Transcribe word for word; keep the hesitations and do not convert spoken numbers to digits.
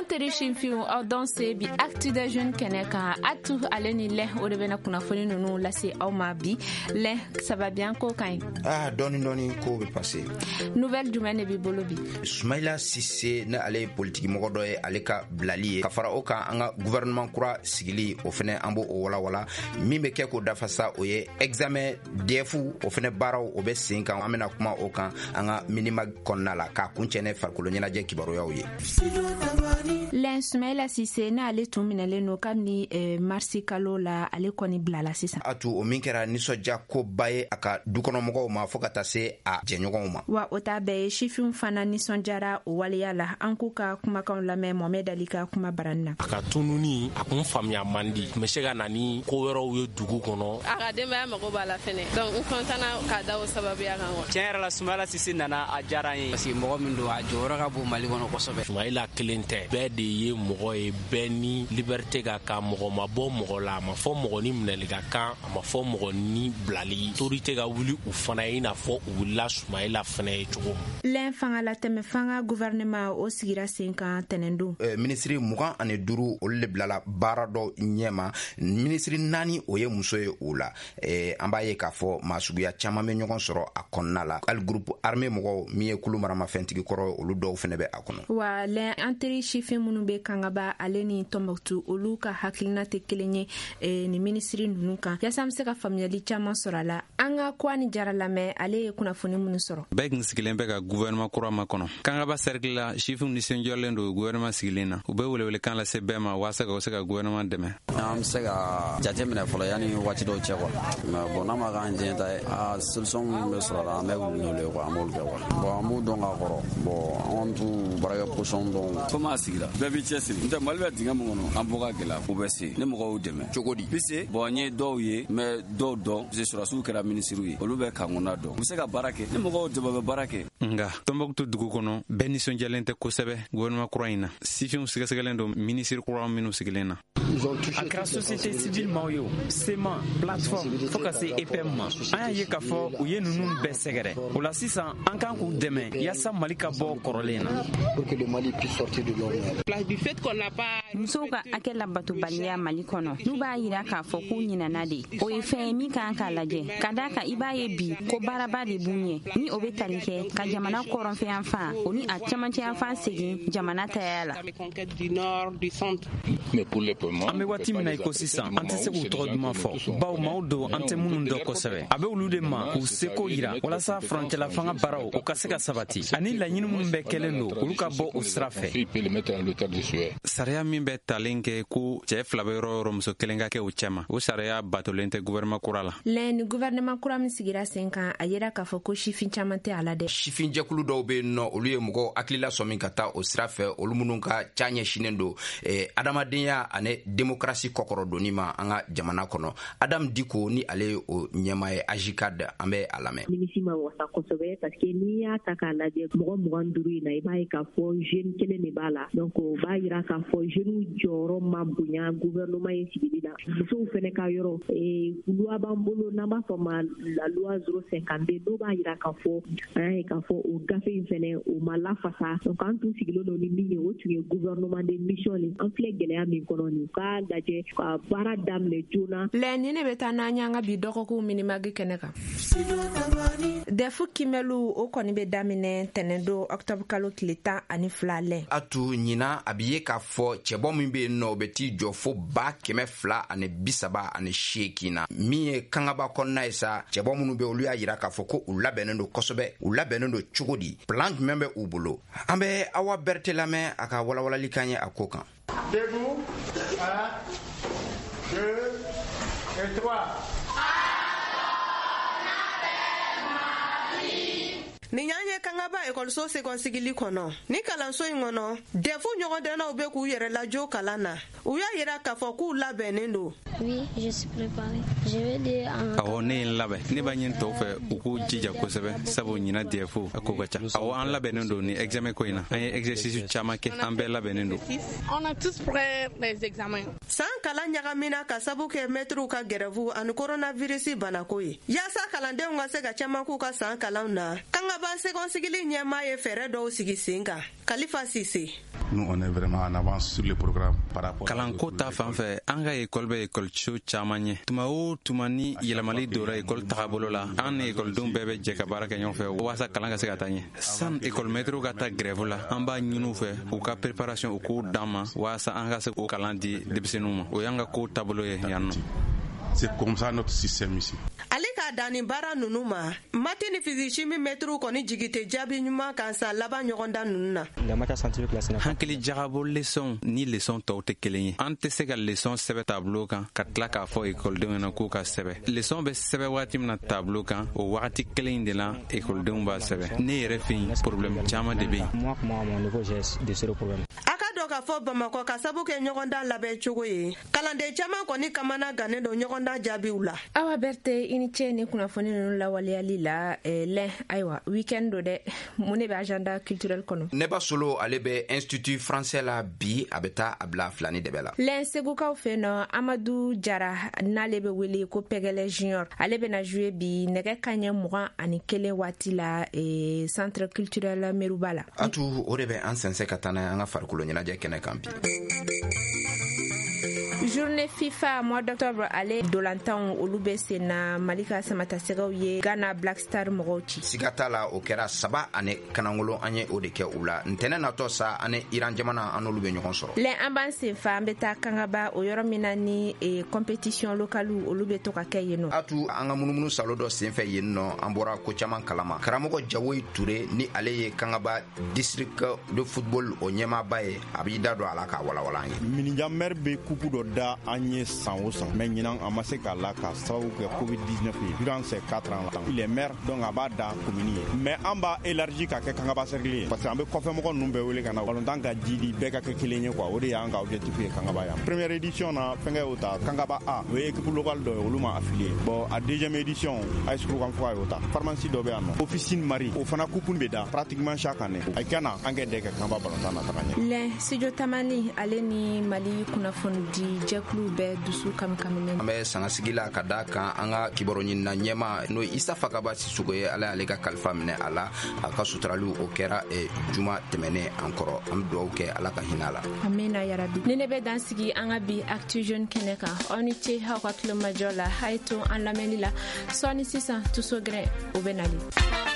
Teri sifinw, aw dɔn se bi Actu des Jeunes kɛnɛ kan. Atu ale ni lɛ, o de bɛna kunnafoni ninnu lase aw ma bi. Lɛ, ça va bien? Ko ka ɲi? Ah, dɔɔni dɔɔni, ko bɛ passer. Nouvelle jumɛn de b'i bolo bi? Sumayila Sise, ne ale ye politiki mɔgɔ dɔ ye, ale ka bilali ye, ka fara o kan, an ka gouvernement kura sigili, o fɛnɛ an b'o o walawala. Min bɛ kɛ k'o dafa sa, o ye examen D E F, o fɛnɛ baaraw, o bɛ sen kan. An bɛna kuma o kan an ka Minimag kɔnɔna la, k'a kuncɛ ne farikolo ɲɛnajɛ kibaruyaw ye. Lɛn, Sumayila Sise, n'ale tun minɛlen no kabini eh, marisi kalo la, ale kɔni bilala sisan. A tu, o min kɛra nisɔndiya koba ye a ka dukɔnɔmɔgɔw ma, fɔɔ ka taa se a jɛɲɔgɔnw ma. Wa o t'a bɛɛ ye, sifinw fana nisɔndiyara o waleya la. An k'u ka kumakanw lamɛn Mohamɛd Ali ka kuma barani na. A ka tununi, a kun faamuya man di, tun bɛ se ka na ni ko wɛrɛw ye dugu kɔnɔ. A ka denbaya mago b'a la fɛnɛ, donc n kɔntana k'a da o sababuya kan wa. Tiɲɛ yɛrɛ la, Sumayila Sise nana, a diyara an ye, parce que mɔgɔ min don, a jɔyɔrɔ ka bon Mali kɔnɔ kosɛbɛ. Sumayila kelen tɛ, bɛɛ de ye mɔgɔ ye, bɛɛ ni liberté ka kan. Mɔgɔ ma bɔ mɔgɔ la, a ma fɔ mɔgɔ ni minɛli ka kan, a ma fɔ mɔgɔ ni bilali. Autorité ka wuli u fana ye, i n'a fɔ u wulila Sumayila fana ye cogo min. Lɛn, fanga latɛmɛ fanga gouvernement, o sigira sen kan tɛnɛndon. Eh, minisiri mugan ani duuru, olu le bilala baara dɔ ɲɛma. Minisiri naani, o ye muso ye o la. eh, an b'a ye k'a fɔ maa suguya caaman bɛ ɲɔgɔn sɔrɔ a kɔnɔna la, hali groupe armé mɔgɔw, min ye kulu maramafɛntigi kɔrɔ, olu dɔw fɛnɛ bɛ a kɔnɔ. Wa lɛn, an teri sifin minnu bɛ Kangaba ale ni Tɔnbɔkutu, olu ka hakilina tɛ kelen ye eh, ni minisiri ninnu kan. Yaasa an be se ka faamuyali caaman sɔrɔ a la, an ka Kuwa ni Jara lamɛn, ale ye kunnafoni minnu sɔrɔ. Bɛɛ kun sigilen bɛ ka gouvernement kura ma kɔnɔ. Kangaba cercle la, sifinw nisɔndiyalen don gouvernement sigilen na. U bɛ welewelekan lase bɛɛ ma waasa ka se ka gouvernement dɛmɛ. An bɛ se ka jate minɛ fɔlɔ yanni waati dɔw cɛ quoi, mais bon, n'a ma k'an diɲɛ ta ye, a solution minnu bɛ sɔrɔ a la, an bɛ wuli n'olu ye quoi, an b'olu kɛ quoi. Bon, an b'u dɔn ka kɔrɔ. Bon, an kɔni t'u baarakɛ position dɔn. Komi a sigira, bɛɛ b'i cɛsiri, n tɛ Mali bɛ dingɛ min kɔnɔ, an bɔ ka gɛlɛ, u bɛ se ni mɔgɔw y'u dɛmɛ. Cogo di? Bi se, bon, n ye dɔw ye, mais dɔw dɔn, parce que sɔrɔdasiw kɛra minisiriw ye, olu bɛ kan kɔnɔna dɔn, u bɛ se ka baara kɛ. Ni mɔgɔw dɛmɛ, u bɛ baara kɛ. Nga Tɔnbɔkutu dugu kɔnɔ, bɛɛ nisɔndiyalen tɛ kosɛbɛ gouvernement kura in na. Sifinw sɛgɛsɛgɛlen don minisiri kura minnu sigilen na. A kɛra société civile maaw ye o, C M A, plateforme, fɔɔ ka se E P M ma, an y'a ye k'a fɔ u ye ninnu bɛɛ sɛgɛrɛ. O la sisan, an kan k'u dɛmɛ yaasa Mali ka bɔ kɔrɔlen na. Musow ka hakɛ labatobaliya Mali kɔnɔ, n'u b'a yira k'a fɔ k'u ɲinana de, o ye fɛn ye min kan k'a lajɛ, ka daa kan i b'a ye bi ko baaraba de b'u ɲɛ, ni o be tali kɛ ka jamana kɔrɔnfɛyanfan, o ni a camancɛyanfan segin jamana taya la. An be waati min na i ko sisan, an tɛ se k'u tɔgɔ duman fɔ, baw maaw don an tɛ minnu dɔn kosɛbɛ. A bɛ olu de ma k'u seko yira walasa furancɛla fanga baaraw, o ka se ka sabati, ani laɲini minnu bɛɛ kɛlen don, olu ka bɔ o sira fɛ. Sariya min bɛ talen kɛ ko cɛɛ fila bɛ yɔrɔ yɔrɔ, muso kelen ka kɛ o cɛma, o sariya batolen tɛ gouvernement kura la. Lɛn, ni gouvernement kura min sigira sen kan, a yira k'a fɔ ko sifin caaman tɛ a la dɛ. Sifinjɛkulu dɔw be yen nɔ, olu ye mɔgɔw hakilila sɔmi ka taa o sira fɛ, olu minnu ka ca ɲɛsinen don eh, adamadenya ani demokarasi kɔkɔrɔdonni ma an ka jamana kɔnɔ. Adam Diko, ni ale ye o ɲɛma ye AJCAD, an bɛ a lamɛn. Nimisi ma wasa kosɛbɛ, parce que n'i y'a ta k'a lajɛ, mɔgɔ mugan duuru in na, i b'a ye k'a fɔ jeune kelen de b'a la. Donc o b'a yira k'a fɔ jeunes jɔyɔrɔ ma bonya gouvernement in sigili la. Musow fɛnɛ ka yɔrɔ, loi b'an bolo n'an b'a fɔ ma la loi zéro cinquante-deux, n'o b'a yira k'a fɔ, an y'a ye k'a fɔ o gafe in fɛnɛ, o ma lafasa. Donc an tun sigilen don ni min ye, o tun ye gouvernement de mission le. An filɛ gɛlɛya min kɔnɔ nin, k'a lajɛ ka baara daminɛ joona. Lɛn, ni ne bɛ taa n'an y'an ka bi dɔgɔkun Minimag kɛnɛ kan. D E F kimɛliw, o kɔni bɛ daminɛ tɛnɛndon, octobre kalo tile tan ani fila, lɛn. A tu, ɲina a bi ye k'a fɔ cɛbɔ min be yen nɔ, o bɛ t'i jɔ fo ba kɛmɛ fila ani bi saba ani seekin na. Min ye Kangaba kɔnɔna ye sa, cɛbɔ minnu be, olu y'a yira k'a fɔ ko u labɛnnen don kosɛbɛ. U labɛnnen don cogo di? Plan jumɛn bɛ u bolo? An bɛ Awa Bɛrite lamɛn, a ka walawalali kan ye a ko kan. Debout. Un, deux et trois. Nin y'an ye Kangaba ekɔliso sekɔnsigili kɔnɔ. Ni kalanso in kɔnɔ, D E F ɲɔgɔndɛnnaw bɛ k'u yɛrɛ lajɔ kalan na. U y'a yira k'a fɔ k'u labɛnnen don. Oui, je suis préparé. Je vais dire en Awɔ, ne ye n labɛn. Ne b'a ɲini tɔw fɛ u k'u jija kosɛbɛ, sabu ɲina D E F a ko ka ca. Awɔ, an labɛnnen don ni examen ko in na. An ye exercice caaman kɛ, an bɛɛ labɛnnen don. On a tous prêt les examens. San kalan ɲagamina ka sabu kɛ mɛtiriw ka gɛrɛfu ani koronavirisi banako ye. Yaasa kalandenw ka se ka caman k'u ka san kalanw na, Kangaba seconde ɲɛmaa ye fɛɛrɛ dɔw sigi sen kan. Khalifa Cissé. Nous, on est vraiment en avance sur le programme par rapport. Kalanko ta fan fɛ, an ka ekɔli bɛ ekɔliso caman ɲɛ. Tuma o tuma ni yɛlɛmali donna ekɔli tagabolo la, an ni ekɔlidenw bɛɛ bɛ jɛ ka baara kɛ ɲɔgɔn fɛ walasa kalan ka se ka taa ɲɛ. San ekɔlimɛtiriw ka taa grève la, an b'a ɲini u fɛ u ka préparation u k'o d'an ma walasa an ka se k'o kalan di denmisɛnninw ma. O y'an ka ko taabolo ye yan nɔ. C'est comme ça notre système ici. Ale k'a dan nin baara ninnu ma, maths ni physique chimie mɛtiriw kɔni jigi tɛ jaabi ɲuman kan san laban ɲɔgɔndan ninnu na. Hakili jagabɔ leçon ni leçon tɔw tɛ kelen ye. An tɛ se ka leçon sɛbɛn tableau kan ka tila k'a fɔ ekɔlidenw ɲɛna k'u ka sɛbɛn. Leçon bɛ sɛbɛn waati min na tableau kan, o wagati kelen in de la ekɔlidenw b'a sɛbɛn. Ne yɛrɛ fɛ yen, problème caman de bɛ yen. A ka dɔn k'a fɔ Bamakɔ ka sabu kɛ ɲɔgɔndan labɛn cogo ye, kalanden caman kɔni kamana gannen don ɲɔgɔndan jaabiw la. Awa Berthe, i ni ce ni kunnafoni ninnu lawaleyali la. eh, lɛn ayiwa, weekend do dɛ, mun de bɛ agenda culturel kɔnɔ? Neba Solo ale bɛ Institut français la bi, a bɛ taa a bila filani dɛbɛ la. Lɛn, segukaw fɛ nɔ, Amadu Jara n'ale bɛ wele ko Pɛgɛlɛ Junior, ale bɛna jouer bi nɛgɛ kaɲɛ mugan ani kelen waati la eh, centre culturel Meruba la. Atu, o de bɛ an sɛnsɛn ka taa n'a ye an ka farikolo ɲɛnajɛ kɛnɛ kan bi. Journée FIFA mois d'octobre, ale dolantanw olu bɛ sen na. Mali ka samatasɛgɛw ye Ghana Black Star mɔgɔw ci. Siga t'a la, o kɛra saba ani kanangolo, an ye o de kɛ u la. Ntɛnɛ natɔ sa, ani Iran jamana, an n'olu bɛ ɲɔgɔn sɔrɔ. Lɛn, an b'an sen fa, an bɛ taa Kangaba, o yɔrɔ min na ni eh, compétition locale olu bɛ to ka kɛ yen nɔ. Atu, an ka munumunu salo dɔ sen fɛ yen nɔ, an bɔra ko caman kalama. Karamɔgɔ Jawoyi Ture ni ale ye Kangaba district de football o ɲɛmaaba ye, a b'i da don a la k'a walawala an ye. Minija maire bɛ coupe dɔ da an ye san o san, mais ɲinan a ma se k'a la k'a sababu kɛ covid dix-neuf ye. Durant ces quatre ans là, il est maire, donc a b'a da commune ye, mais an b'a élargi k'a kɛ Kangaba cercle ye, parce que an bɛ kɔfɛmɔgɔ ninnu bɛɛ wele ka na balontan ka jidi, bɛɛ ka kɛ kelen ye quoi. O de y'an ka objectif ye Kangaba yan. Première édition na, fɛnkɛ y'o ta, Kangaba A, o ye équipe locale dɔ ye, olu ma affilié. Bon, a deuxième édition, A S Kurukanfuga y'o ta. Pharmacie dɔ bɛ yan nɔ, officine Marie, o fana coupe bɛ da pratiquement chaque année. A kana an kɛ dɛ ka Kangaba balontan na taga ɲɛ. Lɛn, Studio Tamani ale ni Mali kunnafoni di jɛkulu bɛɛ dusu kamikaminen. An bɛ sangasigi la ka da kan an ka kibaru ɲinina ɲɛma, n'o ye Isa Fakaba Sisoko ye, Ala y'ale ka kalifa minɛ a la. A ka suturaliw o kɛra eh, juma tɛmɛnen an kɔrɔ. An bɛ dugawu kɛ, Ala ka hinɛ a la. Amina yarabi. Ni ne bɛ dan sigi an ka bi Actu Jeune kɛnɛ kan. Aw ni ce aw ka tulomajɔ la. A ye to an lamɛnni la. Sɔɔni sisan, Tuso Gɛrɛ o bɛ nali.